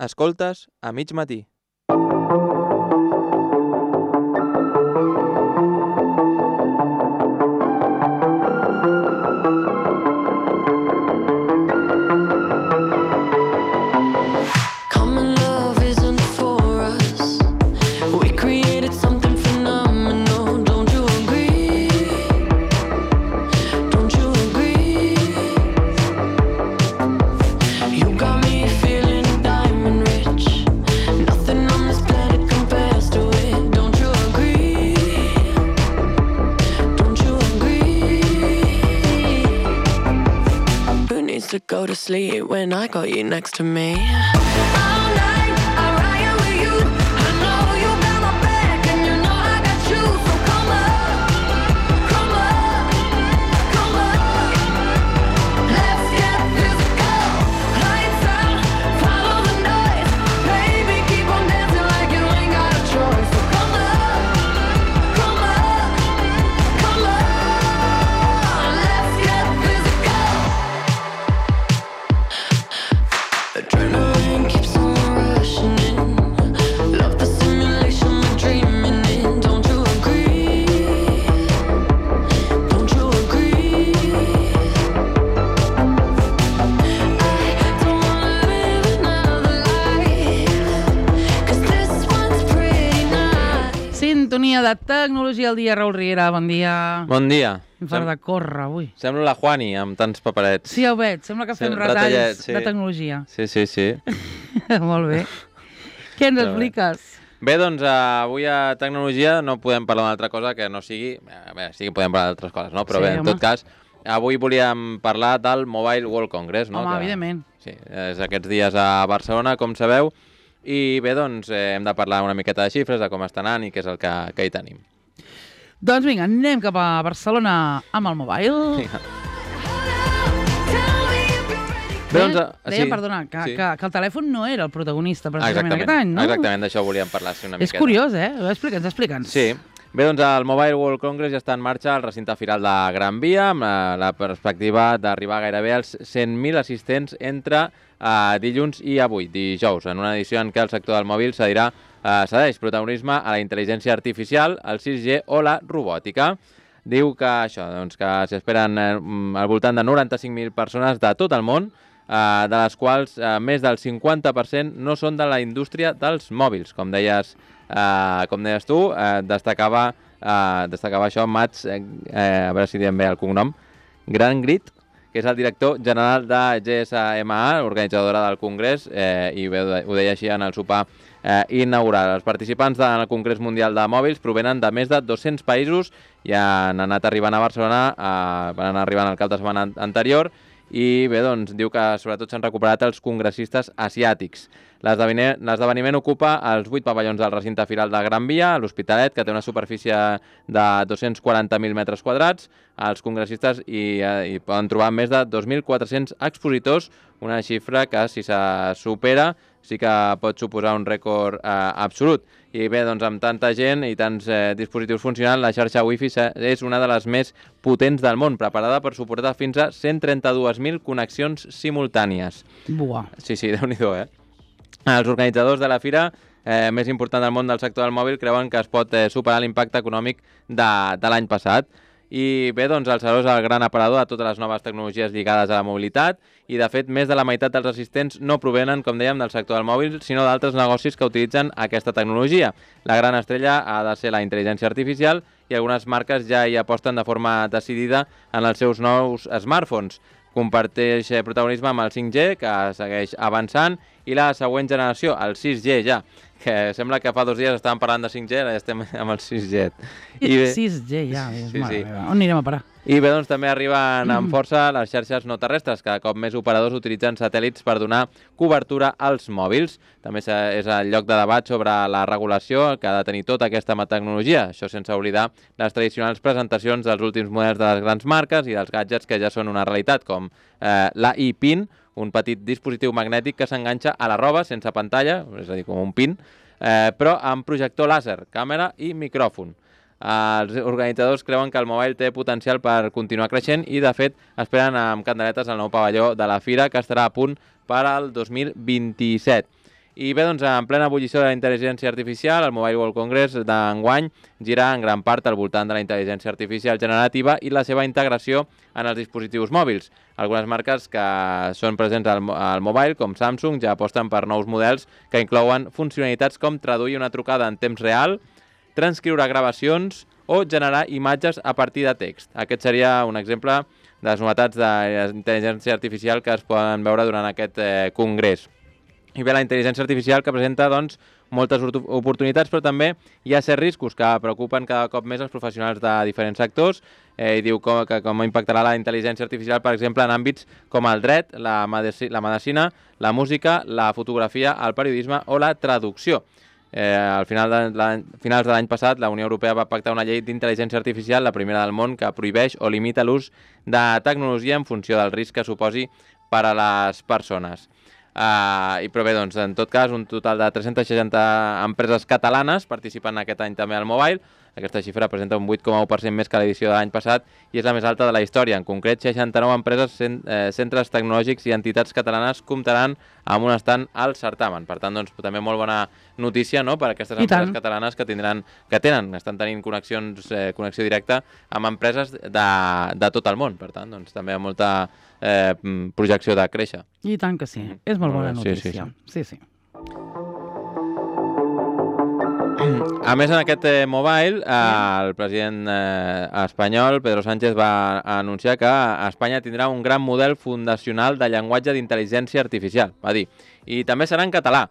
Escoltes a mig matí. To go to sleep when I got you next to me. All night I ride with you. I know you got my back and you know I got you. So come on, come on, come on. Let's get physical. Lights out, follow the noise. Baby, keep on dancing like you ain't got a choice. So come on, come on, come on. Let's get physical. Adrenaline keeps on rushing in. Love the simulation we're dreaming in. Don't you agree? Don't you agree? I don't wanna live another life, 'cause this one's pretty nice. Sintonia de tecnologia al dia, Raül Riera, bon dia. Bon dia. Em fa de córrer avui. Sembla la Juani amb tants paperets. Sí, ja ho veig, sembla que fem retalls de tecnologia. Sí. Molt bé. Què ens expliques? Bé, doncs avui a tecnologia no podem parlar d'una altra cosa que no sigui... Bé, sí que podem parlar d'altres coses, no? Però Sí, bé, en home. tot cas, avui volíem parlar del Mobile World Congress, no? Home, Que, evidentment. sí, és aquests dies a Barcelona, com sabeu, i bé, doncs hem de parlar una miqueta de xifres, de com està anant i què és el que hi tenim. Doncs vinga, anem cap a Barcelona amb el mobile. Bé, doncs, Deia, perdona, que el telèfon no era el protagonista precisament aquest any, no? Exactament, d'això volíem parlar una miqueta. És curiós, eh? Explica'ns. Sí. Bé, doncs el Mobile World Congress ja està en marxa al recinte firal de Gran Via, amb la perspectiva d'arribar gairebé als 100.000 assistents entre dilluns i avui, dijous, en una edició en què el sector del mòbil cedeix protagonisme a la intel·ligència artificial, el 6G o la robòtica. Diu que això, doncs, que s'hi esperen al voltant de 95.000 persones de tot el món, de les quals més del 50% no són de la indústria dels mòbils. Com deies tu, destacava això Mats, a veure si diem bé el cognom, Grangrit, que és el director general de GSMA, organitzadora del Congrés, i bé, ho deia així en el sopar inaugural. Els participants del Congrés Mundial de Mòbils provenen de més de 200 països i han anat arribant a Barcelona, van anar arribant el cap de setmana anterior, i bé, doncs, diu que sobretot s'han recuperat els congressistes asiàtics. L'esdeveniment ocupa els 8 pavellons del recinte firal de Gran Via, a l'Hospitalet, que té una superfície de 240.000 metres quadrats. Els congressistes hi poden trobar més de 2.400 expositors, una xifra que, si se supera, sí que pot suposar un rècord absolut. I bé, doncs, amb tanta gent i tants dispositius funcionant, la xarxa Wi-Fi és una de les més potents del món, preparada per suportar fins a 132.000 connexions simultànies. Buah. Sí, Déu-n'hi-do, eh? Els organitzadors de la fira més important del món del sector del mòbil creuen que es pot superar l'impacte econòmic de l'any passat. I bé, doncs el Saló és el gran aparador de totes les noves tecnologies lligades a la mobilitat i, de fet, més de la meitat dels assistents no provenen, com dèiem, del sector del mòbil, sinó d'altres negocis que utilitzen aquesta tecnologia. La gran estrella ha de ser la intel·ligència artificial i algunes marques ja hi aposten de forma decidida en els seus nous smartphones. Comparteix protagonisme amb el 5G, que segueix avançant, i la següent generació, el 6G ja, que sembla que fa 2 dies estàvem parlant de 5G, ara ja estem amb el 6G. 6G ja, mare meva. On anirem a parar? I bé, doncs també arriben amb força les xarxes no terrestres, cada cop més operadors utilitzen satèl·lits per donar cobertura als mòbils. També és el lloc de debat sobre la regulació que ha de tenir tota aquesta tecnologia, això sense oblidar les tradicionals presentacions dels últims models de les grans marques i dels gadgets que ja són una realitat, com la ePin, un petit dispositiu magnètic que s'enganxa a la roba sense pantalla, és a dir, com un pin, però amb projector làser, càmera i micròfon. Els organitzadors creuen que el mobile té potencial per continuar creixent i, de fet, esperen amb candeletes el nou pavelló de la fira, que estarà a punt per al 2027. I bé, doncs, en plena ebullició de la intel·ligència artificial, el Mobile World Congress d'enguany gira en gran part al voltant de la intel·ligència artificial generativa i la seva integració en els dispositius mòbils. Algunes marques que són presents al mobile, com Samsung, ja aposten per nous models que inclouen funcionalitats com traduir una trucada en temps real, transcriure gravacions o generar imatges a partir de text. Aquest seria un exemple de les novetats d'intel·ligència artificial que es poden veure durant aquest congrés. I bé, la intel·ligència artificial que presenta doncs, moltes oportunitats, però també hi ha certs riscos que preocupen cada cop més els professionals de diferents sectors. I diu que com impactarà la intel·ligència artificial, per exemple, en àmbits com el dret, la medicina, la música, la fotografia, el periodisme o la traducció. Al finals de l'any passat, la Unió Europea va pactar una llei d'intel·ligència artificial, la primera del món, que prohibeix o limita l'ús de tecnologia en funció del risc que suposi per a les persones. Però bé, doncs, en tot cas, un total de 360 empreses catalanes participen aquest any també al Mobile. Aquesta xifra representa un 8,1% més que l'edició de l'any passat i és la més alta de la història. En concret, 69 empreses, centres tecnològics i entitats catalanes comptaran amb un estand al certamen. Per tant, doncs, també molt bona notícia, no?, per a aquestes empreses catalanes estan tenint connexió directa amb empreses de tot el món. Per tant, doncs, també amb molta projecció de créixer. I tant que sí. És molt bona notícia. Sí. A més, en aquest mobile, el president espanyol, Pedro Sánchez, va anunciar que Espanya tindrà un gran model fundacional de llenguatge d'intel·ligència artificial, va dir. I també serà en català.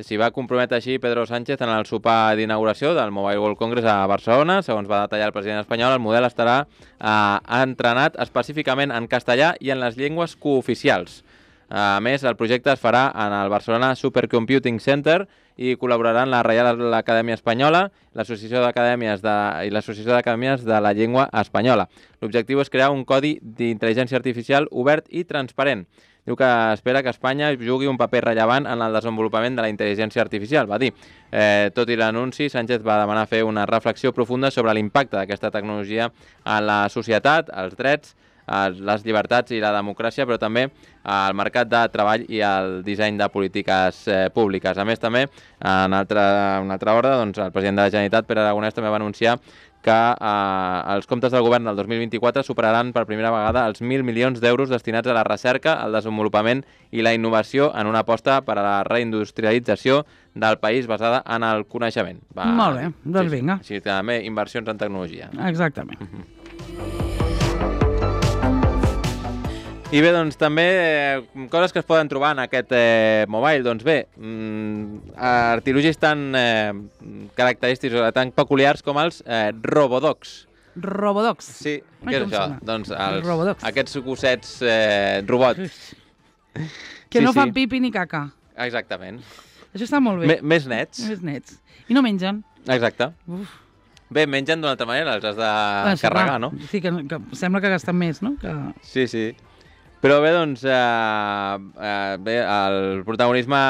S'hi va comprometre així Pedro Sánchez en el sopar d'inauguració del Mobile World Congress a Barcelona. Segons va detallar el president espanyol, el model estarà entrenat específicament en castellà i en les llengües cooficials. A més, el projecte es farà en el Barcelona Supercomputing Center i col·laboraran la Reial Acadèmia Espanyola, l'Associació d'Acadèmies i l'Associació d'Acadèmies de la Llengua Espanyola. L'objectiu és crear un codi d'intel·ligència artificial obert i transparent. Diu que espera que Espanya jugui un paper rellevant en el desenvolupament de la intel·ligència artificial, va dir. Tot i l'anunci, Sánchez va demanar fer una reflexió profunda sobre l'impacte d'aquesta tecnologia en la societat, els drets, les llibertats i la democràcia, però també al mercat de treball i al disseny de polítiques públiques. A més, també, en una altra hora, doncs, el president de la Generalitat, Pere Aragonès, també va anunciar que els comptes del govern del 2024 superaran per primera vegada els 1.000 milions d'euros destinats a la recerca, al desenvolupament i la innovació en una aposta per a la reindustrialització del país basada en el coneixement. Molt bé, doncs vinga. Així que també inversions en tecnologia. Exactament. I bé, doncs també coses que es poden trobar en aquest mobile. Doncs bé, artilugis tan característics o tan peculiars com els robodogs. Robodogs? Sí, què és això? Doncs aquests gossets robots. Que no fan pipi ni caca. Exactament. Això està molt bé. Més nets. Més nets. I no mengen. Exacte. Bé, mengen d'una altra manera, els has de carregar, no? Sí, que sembla que gasten més, no? Sí. Però bé, doncs, el protagonisme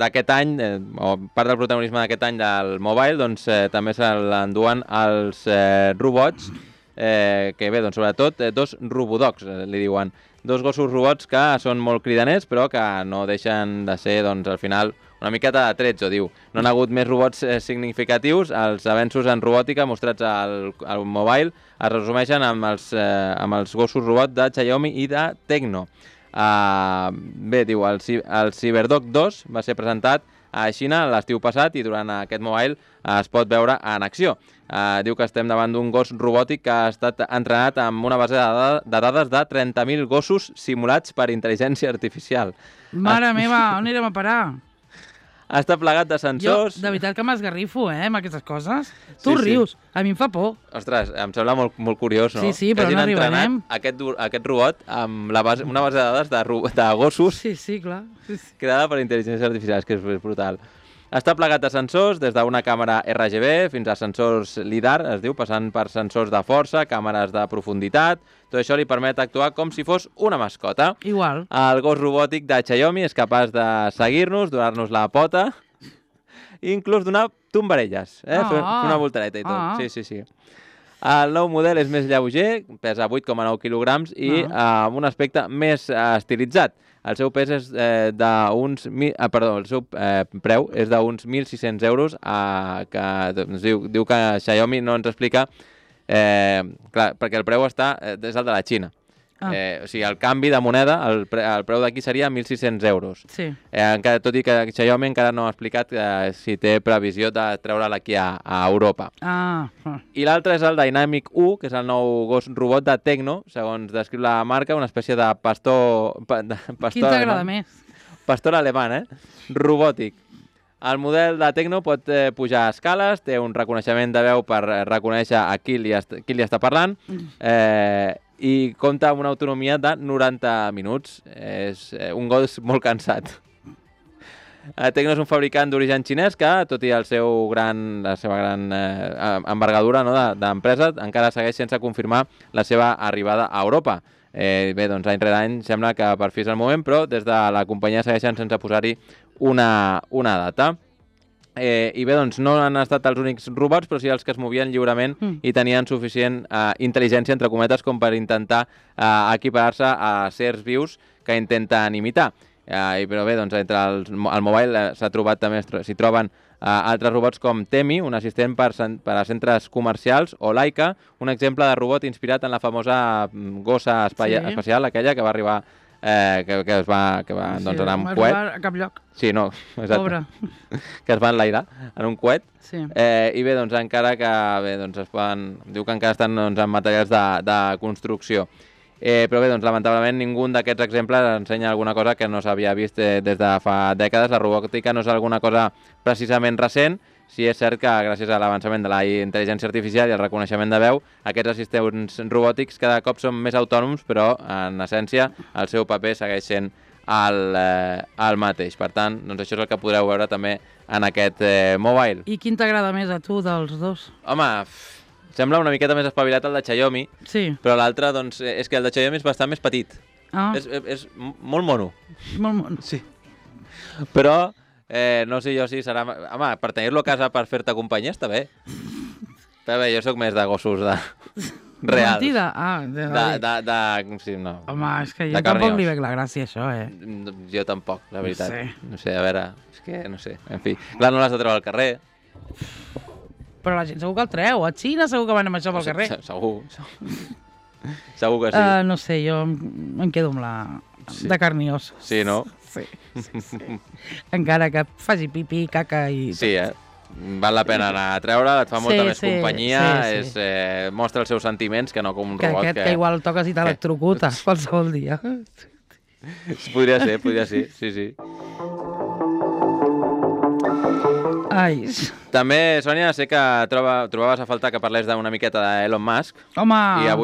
d'aquest any, o part del protagonisme d'aquest any del mobile, doncs també se l'enduen els robots, que bé, doncs sobretot dos robodogs, li diuen. Dos gossos robots que són molt cridaners, però que no deixen de ser, doncs, al final, una miqueta de trets, ho diu. No han hagut més robots significatius. Els avenços en robòtica mostrats al mobile es resumeixen amb els gossos robots de Xiaomi i de Tecno. Bé, diu, el Cyberdog 2 va ser presentat a Xina l'estiu passat i durant aquest mobile es pot veure en acció. Diu que estem davant d'un gos robòtic que ha estat entrenat amb una base de dades de 30.000 gossos simulats per intel·ligència artificial. Mare meva, on anirem a parar? Està plegat de sensors... Jo, de veritat que m'esgarrifo, amb aquestes coses. Tu rius, a mi em fa por. Ostres, em sembla molt curiós, no? Sí, però no arribarem. Aquest robot amb una base de dades de gossos... Sí, clar. Creada per intel·ligència artificial, que és brutal. Està plegat de sensors, des d'una càmera RGB fins a sensors LiDAR, es diu, passant per sensors de força, càmeres de profunditat. Tot això li permet actuar com si fos una mascota. Igual. El gos robòtic de Xiaomi és capaç de seguir-nos, donar-nos la pota i inclús donar tombarelles, fer una voltareta i tot. Sí. El nou model és més lleuger, pesa 8,9 quilograms i amb un aspecte més estilitzat. El seu pes és d'uns... el seu preu és d'uns 1.600 euros, que diu que Xiaomi no ens explica, clar, perquè el preu està des del de la Xina. O sigui, el canvi de moneda, el preu d'aquí seria 1.600 euros. Sí. Tot i que Xiaomi encara no ha explicat si té previsió de treure'l aquí a Europa. I l'altre és el Dynamic 1, que és el nou gos robot de Tecno, segons descriu la marca, una espècie de pastor... Quin t'agrada més? Pastor alemany, robòtic. El model de Tecno pot pujar escales, té un reconeixement de veu per reconèixer a qui li està parlant, i compta amb una autonomia de 90 minuts. És un gos molt cansat. Tecno és un fabricant d'origen xinès que, tot i la seva gran envergadura d'empresa, encara segueix sense confirmar la seva arribada a Europa. Bé, doncs any rere any sembla que per fi és el moment, però des de la companyia segueixen sense posar-hi una data. I bé, doncs no han estat els únics robots, però sí els que es movien lliurement i tenien suficient intel·ligència, entre cometes, com per intentar equiparar-se a certs vius que intenten imitar. Però bé, doncs entre el mobile s'hi troben altres robots com Temi, un assistent per a centres comercials, o Laika, un exemple de robot inspirat en la famosa gossa espacial, aquella que va arribar que va doncs, anar amb coet. A cap lloc. Sí, no, exacte. Pobre. Que es va enlairar en un coet. Sí. I bé, doncs encara que diu que encara estan en materials de construcció. Però bé, doncs lamentablement ningú d'aquests exemples ensenya alguna cosa que no s'havia vist des de fa dècades. La robòtica no és alguna cosa precisament recent. Sí, és cert que gràcies a l'avançament de la intel·ligència artificial i el reconeixement de veu, aquests assistents robòtics cada cop són més autònoms, però en essència el seu paper segueix sent el mateix. Per tant, doncs això és el que podreu veure també en aquest mobile. I quin t'agrada més a tu dels dos? Home, sembla una miqueta més espavilat el de Xiaomi, però l'altre doncs, és que el de Xiaomi és bastant més petit. És molt mono. Molt mono. Sí. Però... no sé jo si serà... Home, per tenir-lo a casa per fer-te companyia està bé. Però bé, jo sóc més de gossos reals. Mentida? Sí, no. Home, és que jo tampoc li veig la gràcia, això, Jo tampoc, la veritat. No sé, a veure, és que no sé. En fi, clar, no l'has de treure al carrer. Però la gent segur que el treu. A Xina segur que van amb això pel carrer. Segur. Segur que sí. No sé, jo em quedo amb la... de carn i os. Sí, no? Sí. Encara que faci pipí, caca i... Sí, val la pena anar a treure, et fa molta més companyia, mostra els seus sentiments que no com un robot. Que igual toques i t'electrocuta qualsevol dia. Podria ser, sí. Ai. També, Sònia, sé que trobaves a faltar que parlés d'una miqueta d'Elon Musk. Home,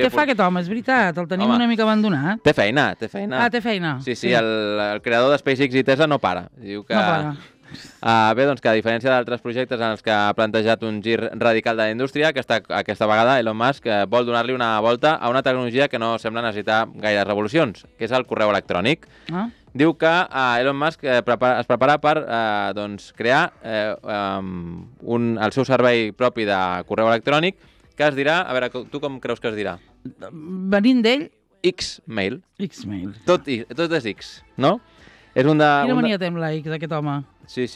què fa aquest home? És veritat, el tenim una mica abandonat. Té feina. Ah, té feina. Sí, el creador de SpaceX i Tesla no para. Diu que... No para. Bé, doncs que a diferència d'altres projectes en els que ha plantejat un gir radical de la indústria, aquesta vegada Elon Musk vol donar-li una volta a una tecnologia que no sembla necessitar gaires revolucions, que és el correu electrònic. Diu que Elon Musk es prepara per crear el seu servei propi de correu electrònic, que es dirà... A veure, tu com creus que es dirà? Venint d'ell... X-Mail. X-Mail. Tot és X, no? Quina mania té amb la X, aquest home? Sí.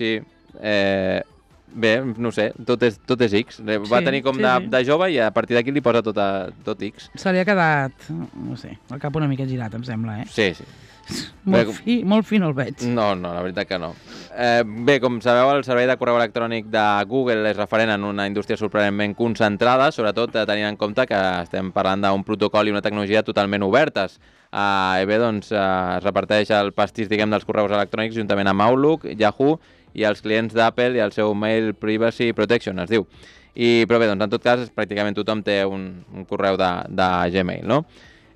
Bé, no sé, tot és X. Va tenir com de jove i a partir d'aquí li posa tot X. Se li ha quedat, no sé, el cap una mica girat, em sembla, Sí. Molt fi no el veig. No, la veritat que no. Bé, com sabeu, el servei de correu electrònic de Google és referent en una indústria sorprenentment concentrada, sobretot tenint en compte que estem parlant d'un protocol i una tecnologia totalment obertes. Bé, doncs es reparteix el pastís, dels correus electrònics juntament amb Outlook, Yahoo i els clients d'Apple i el seu Mail Privacy Protection, es diu. Però bé, doncs en tot cas, pràcticament tothom té un correu de Gmail, no?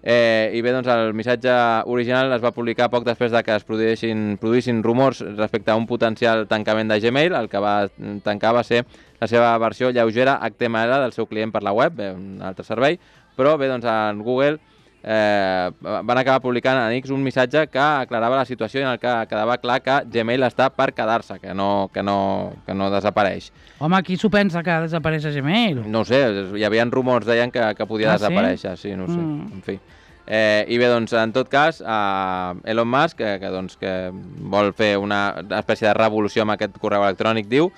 I bé, doncs el missatge original es va publicar poc després de que es produïssin rumors respecte a un potencial tancament de Gmail. El que va tancar va ser la seva versió lleugera HTML del seu client per la web, un altre servei, però bé, doncs en Google van acabar publicant a X un missatge que aclarava la situació en el que quedava clar que Gmail està per quedar-se, que no desapareix. Home, qui s'ho pensa que desapareix a Gmail? No ho sé, hi havia rumors, deien que podia desaparèixer, sí, no ho sé, en fi. I bé, doncs, en tot cas, Elon Musk, que vol fer una espècie de revolució amb aquest correu electrònic, diu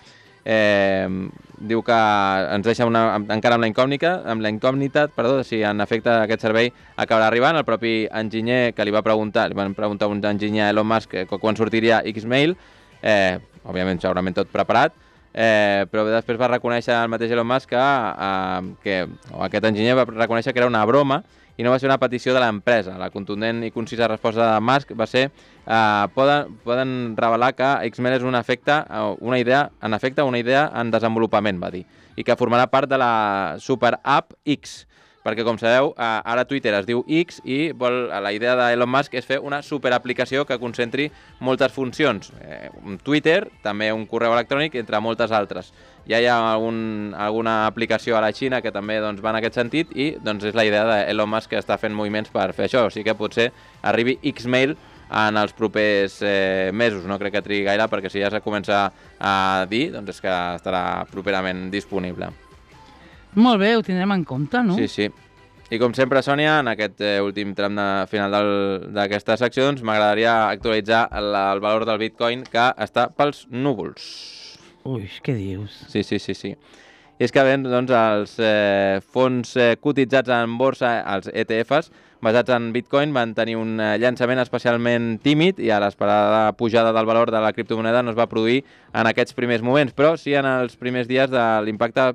que ens deixa encara amb la incògnita, si en efecte aquest servei acabarà arribant. El propi enginyer que li van preguntar a un enginyer a Elon Musk quan sortiria Xmail, òbviament segurament tot preparat, però després va reconèixer el mateix Elon Musk que aquest enginyer va reconèixer que era una broma i no va ser una petició de l'empresa. La contundent i concisa resposta de Musk va ser poden revelar que Xmail és una idea en desenvolupament, va dir, i que formarà part de la super app X, perquè com sabeu, ara Twitter es diu X i la idea d'Elon Musk és fer una superaplicació que concentri moltes funcions. Twitter, també un correu electrònic, entre moltes altres. Ja hi ha alguna aplicació a la Xina que també va en aquest sentit i és la idea d'Elon Musk que està fent moviments per fer això. O sigui que potser arribi Xmail en els propers mesos. No crec que trigui gaire perquè si ja se comença a dir, doncs és que estarà properament disponible. Molt bé, ho tindrem en compte, no? Sí, sí. I com sempre, Sònia, en aquest últim tram final d'aquesta secció, m'agradaria actualitzar el valor del Bitcoin, que està pels núvols. Ui, què dius? Sí. I és que els fons cotitzats en borsa, els ETFs, basats en Bitcoin, van tenir un llançament especialment tímid i a l'esperada pujada del valor de la criptomoneda no es va produir en aquests primers moments. Però si en els primers dies l'impacte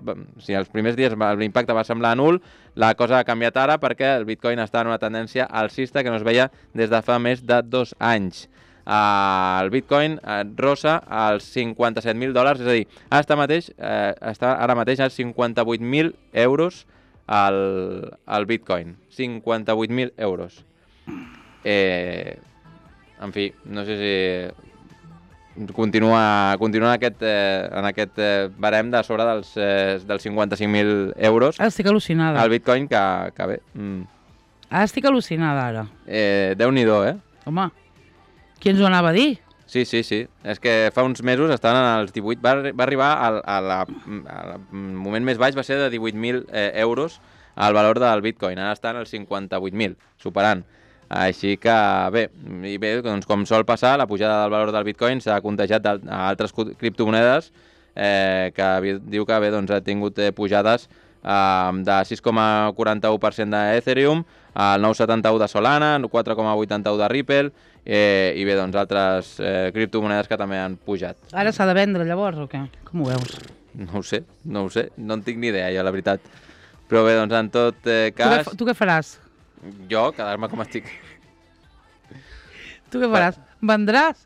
va semblar nul, la cosa ha canviat ara perquè el Bitcoin està en una tendència alcista que no es veia des de fa més de 2 anys. El Bitcoin rossa als $57.000, és a dir, està ara mateix a 58.000 euros al Bitcoin. 58.000 euros. En fi, no sé si continua en aquest barem de sobre dels 55.000 euros. Estic al·lucinada. El Bitcoin, que bé. Estic al·lucinada, ara. Déu-n'hi-do, Home, qui ens ho anava a dir? Sí. És que fa uns mesos estaven als 18. Va arribar al moment més baix, va ser de 18.000 euros el valor del Bitcoin. Ara estan als 58.000, superant. Així que, bé, doncs, com sol passar, la pujada del valor del Bitcoin s'ha contagiat a altres criptomonedes que diu que ha tingut pujades de 6,41% d'Ethereum, el 9,71 de Solana, el 4,81 de Ripple i bé, doncs altres criptomonedes que també han pujat. Ara s'ha de vendre llavors o què? Com ho veus? No ho sé, no en tinc ni idea jo, la veritat. Però bé, doncs en tot cas... Tu què faràs? Jo, quedar-me com estic. Tu què faràs? Vendràs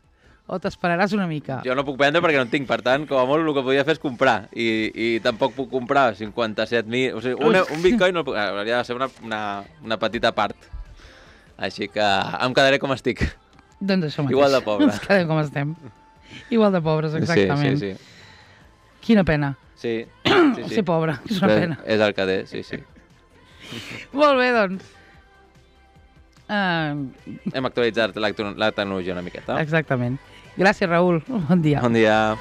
o t'esperaràs una mica? Jo no puc vendre perquè no en tinc, per tant, com a molt el que podria fer és comprar. I tampoc puc comprar 57.000... O sigui, un Bitcoin no puc... Hauria de ser una petita part. Així que em quedaré com estic. Doncs això mateix. Igual de pobre. Ens quedem com estem. Igual de pobres, exactament. Sí. Quina pena. Sí. Ser pobre, és una pena. És el que té, sí. Molt bé, doncs. Hem actualitzat la tecnologia una miqueta. Exactament. Gràcies, Raül. Bon dia. Bon dia.